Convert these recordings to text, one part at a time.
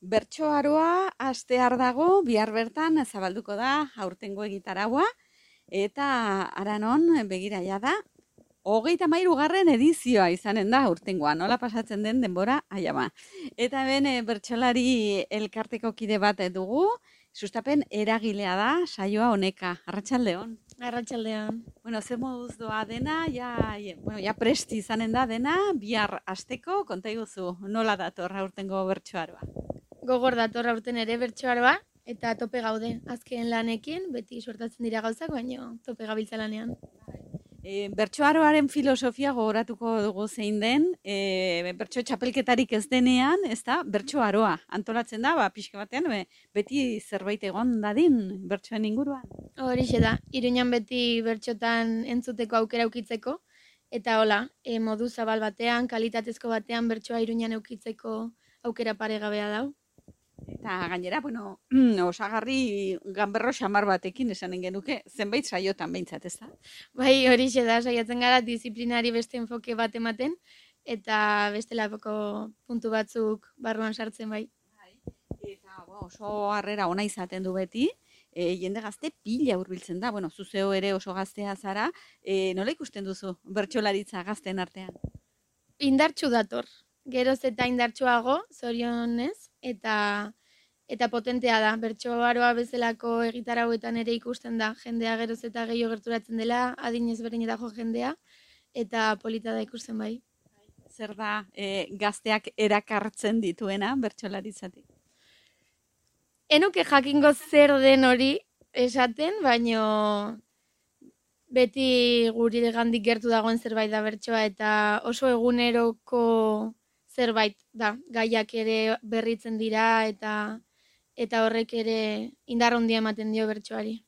Bertsoaroa astear dago, bihar bertan zabalduko da aurtengo egitaraua, eta aranon begira da, 33. edizioa izanen da aurtengoa, nola pasatzen den denbora, aiama. Eta hemen bertsolari elkarteko kide bat dugu, sustapen eragilea da, saioa honeka, arratsaldeon. Arratsaldean. Bueno, zer moduz doa dena, ja presti izanen da dena, bihar asteko, konta iguzu, nola dator aurtengo bertsoaroa? Gogor dator aurten ere bertsoaroa eta tope gaude. Azken lanekin beti suertatzen dira gauzak, baina tope gabiltza lanean. Bertsoaroaren filosofia gogoratuko dugu zein den, bertso txapelketarik ez denean, ez da, bertsoaroa antolatzen da, pixka batean, beti zerbait egon dadin bertsoen inguruan. Horixe da, Iruñan beti bertsotan entzuteko aukera ukitzeko, eta hola, modu zabal batean, kalitatezko batean bertsoa Iruñan eukitzeko aukera paregabea dau. Eta gainera, bueno, osagarri ganberro xamar batekin esanen genuke, zenbait saiotan behintzat, ez da? Bai, horixe da, saiatzen gara disiplinari beste enfoke bat ematen, eta bestelako puntu batzuk barruan sartzen bai. Eta oso harrera ona izaten du beti, jende gazte pila hurbiltzen da, bueno, zuzeo ere oso gaztea zara, nola ikusten duzu bertsolaritza gazten artean? Indartsu dator, geroz eta indartsuago, zorionez, eta potentea da. Bertsoaroa bezalako egitarauetan ere ikusten da, jendea geroz eta gehiago gerturatzen dela, adin ezberdinetako jendea, eta polita da ikusten bai. Zer da gazteak erakartzen dituena bertsolaritzatik? Enuke jakingo zer den hori esaten, baino beti guri gandik gertu dagoen zerbait da bertsoa, eta oso eguneroko zerbait da, gaiak ere berritzen dira, eta horrek ere indar handia ematen dio bertsoari.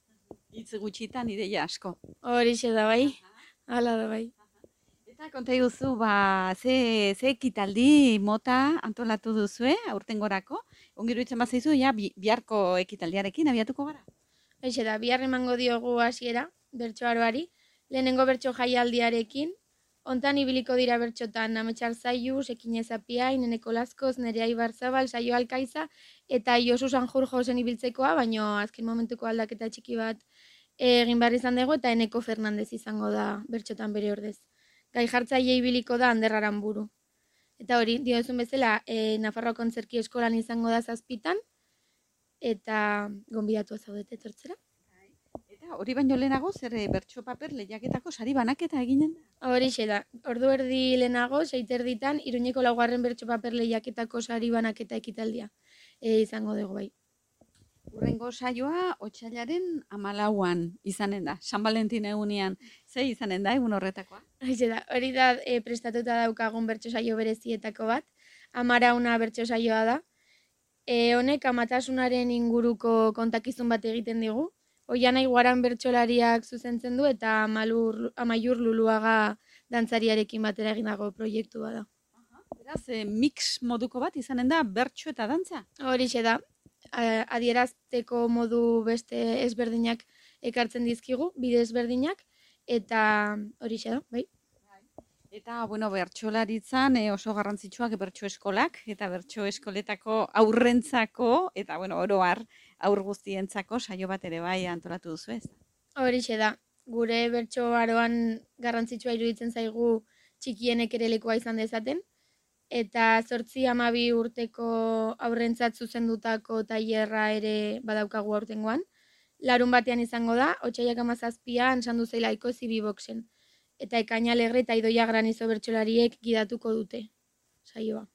Hitz gutxitan ideia asko. Horixe da bai, hala da bai. Eta konta iguzu, ze ekitaldi mota antolatu duzue aurtengorako? Ongiru itzen bat zaizu, biharko ekitaldiarekin abiatuko gara? Haixe da, bihar emango diogu hasiera bertsoaroari, lehenengo bertso jaialdiarekin, hontan ibiliko dira bertsotan Ametxar Zaiu, Sekinez Apiain, Eneko Laskoz, Nerea Ibarzabal, Saio Alkaiza, eta Josu Sanjurjo zen ibiltzekoa, baino azken momentuko aldaketa txiki bat egin behar izan dugu, eta Eneko Fernandez izango da bertsotan bere ordez. Gai jartzaile ibiliko da Ander Aranburu. Eta hori, diozun bezala, Nafarroa Kontzerki Eskolan izango da 7:00, eta gonbidatu zaudete etortzera. Eta hori baino lehenago, zer bertso paper lehiaketako sari banaketa eginen da? Horixe da, ordu erdi lehenago, 6:00 Iruñeko 4. bertso paper lehiaketako sari banaketa ekitaldia izango dugu bai. Urrengo saioa otsailaren 14an izanen da, San Valentin egunean. Ze izanen da egun horretakoa? Horixe da, hori da prestatuta daukagun bertso saio berezietako bat, 11 bertso saioa da. Honek amatasunaren inguruko kontakizun bat egiten digu. Oianai Guaran bertsolariak zuzentzen du eta Amaiur Luluaga dantzariarekin batera egindako proiektua da. Beraz, mix moduko bat izanen da bertso eta dantza? Horixe da, adierazteko modu beste ezberdinak ekartzen dizkigu, bide ezberdinak, eta horixe da, bai. Eta, bueno, bertsolaritzan oso garrantzitsuak bertso eskolak, eta bertso eskoletako aurrentzako, eta, bueno, oro har, aur guztientzako saio bat ere bai antolatu duzu ez? Horixe da, gure bertsoaroan garrantzitsua iruditzen zaigu txikienek ere lekua izan dezaten, eta 8-12 urteko aurrentzat zuzendutako tailerra ere badaukagu aurtengoan. Larun batean izango da, otsailak 17an Sandu Zeilaiko Zibiboxen. Eta Ekaina Alegre eta Idoia Granizo bertsolariek gidatuko dute saioa.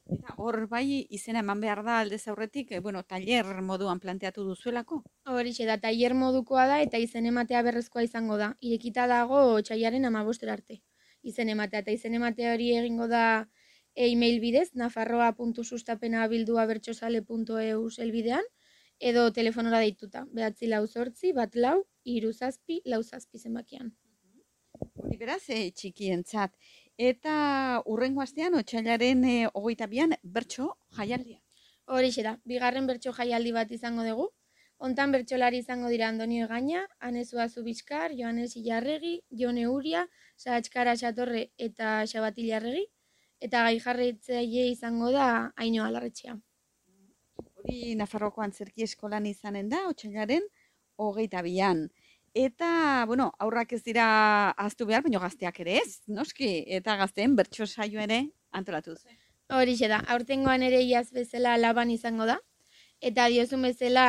Eta hor bai izena eman behar da aldez aurretik, tailer moduan planteatu duzuelako? Horixe da, tailer modukoa da eta izen ematea berrezkoa izango da. Irekita dago otsailaren 15 arte. Izen ematea eta izen ematea hori egingo da e-mail bidez, nafarroa.sustapena@bertsozale.eu helbidean, edo telefonora deituta, 948-144-377 zenbakian. Hori beraz, txikientzat. Eta urrengo astean, otsailaren 22an, bertso jaialdia. Horixe da, 2. bertso jaialdi bat izango dugu. Hontan bertsolari izango dira Andonio Egaña, Anesua Zubizkar, Joanes Ilarregi, Jone Uria, Sahatskara Satorre eta Xabat Ilarregi, eta gai jarraitzaile izango da Ainhoa Larretxea. Hori Nafarroko Antzerki Eskolan izanen da, otsailaren 22an. Eta, bueno, aurrak ez dira ahaztu behar, baina gazteak ere ez, noski, eta gazteen bertso saio ere antolatu duzu. Horixe da, aurtengoan ere iaz bezala laban izango da, eta diozun bezala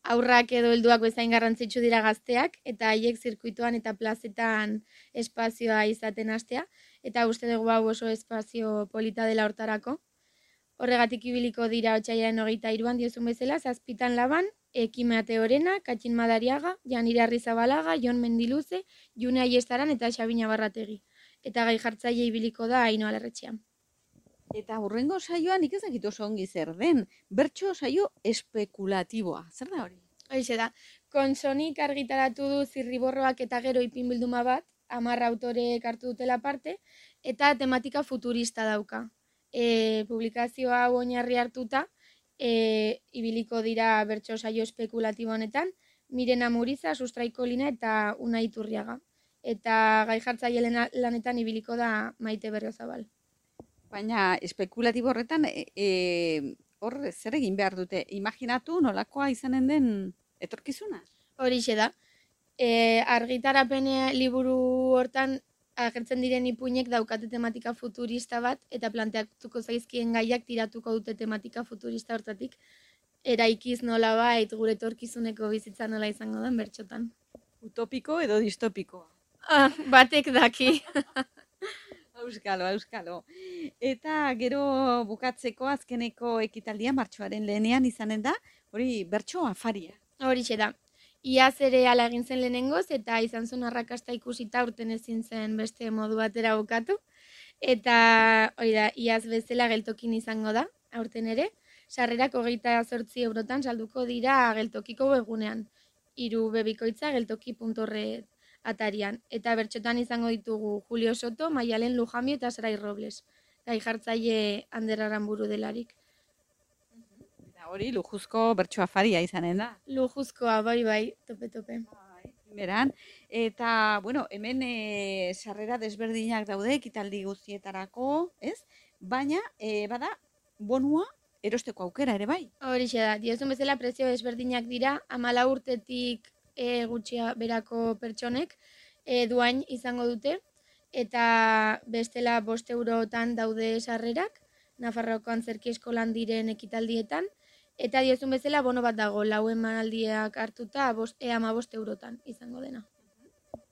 aurrak edo helduak bezain garrantzitsu dira gazteak, eta haiek zirkuituan eta plazetan espazioa izaten hastea, eta uste dugu hau oso espazio polita dela hortarako. Horregatik ibiliko dira otsailaren 23an diozun bezala, 7 laban, Ekime Ateorena, Katxin Madariaga, Janire Arrizabalaga, Jon Mendiluze, June Aiestaran eta Xabina Barrategi. Eta gai jartzaile ibiliko da Ainhoa Larretxean. Eta hurrengo saioan nik ez dakit oso ongi zer den, bertso saio espekulatiboa. Zer da hori? Horixe da, Konsonik argitaratu du Zirriborroak eta gero ipinbilduma bat, 10 autorek hartu dutela parte, eta tematika futurista dauka. Publikazio hau oinarri hartuta, ibiliko dira bertso saio espekulatibo honetan, Mirena Muriza, Sustraiko Lina eta Unai Iturriaga. Eta gai jartzaile lanetan ibiliko da Maite Berriozabal. Baina espekulatibo horretan, hor zer egin behar dute? Imaginatu nolakoa izanen den etorkizuna? Horixe da. Argitarapen liburu hortan agertzen diren ipuinek daukate tematika futurista bat, eta planteatuko zaizkien gaiak tiratuko dute tematika futurista hortatik, eraikiz nola bait gure etorkizuneko bizitza nola izango den bertxotan. Utopiko edo distopikoa? Batek daki. Auskalo. Eta gero bukatzeko azkeneko ekitaldia martxoaren lehenean izanen da, hori bertso afaria. Horixe da. Iaz ere ala egin zen lehenengoz, eta izan zuen arrakasta ikusita urten ezin zen beste modu batera bukatu. Eta hori da, iaz bezala geltokin izango da, aurten ere. Sarrerak 28 eurotan salduko dira geltokiko webgunean. 3 bebikoitza geltoki.org atarian. Eta bertxotan izango ditugu Julio Soto, Maialen Lujambio eta Sarai Robles. Gai jartzaile Ander Aramburu delarik. Hori lujuzko bertso afaria izanen da. Lujuzkoa, bai, tope. Beran, eta, bueno, hemen sarrera desberdinak daude ekitaldi guztietarako, ez? Baina, bada, bonua erosteko aukera ere bai. Horixe da, diozun bezala prezio desberdinak dira, 14 urtetik gutxia berako pertsonek duain izango dute, eta bestela 5 eurotan daude sarrerak, Nafarroko Antzerki Eskolan diren ekitaldietan, eta diozun bezala bono bat dago, 4 emanaldiak hartuta 15 eurotan izango dena.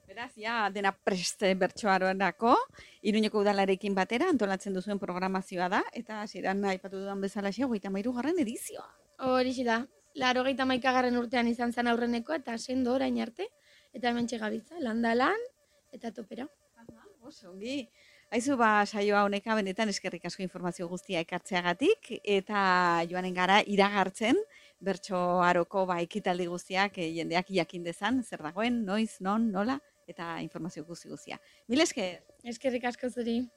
Beraz, ja, dena prest bertsoarorako, Iruñeko udalarekin batera antolatzen duzuen programazioa da, eta hasieran aipatu dudan bezala 33. edizioa. Horixe da, 81. urtean izan zen aurrenekoa, eta sendo orain arte, eta hementxe gabiltza, lan eta topera. Oso ongi. Aizu saioa honeka benetan eskerrik asko informazio guztia ekartzeagatik, eta joanen gara iragartzen bertso aroko ekitaldi guztiak jendeak jakin dezan, zer dagoen, noiz, non, nola, eta informazio guztia. Mil esker! Eskerrik asko zuri!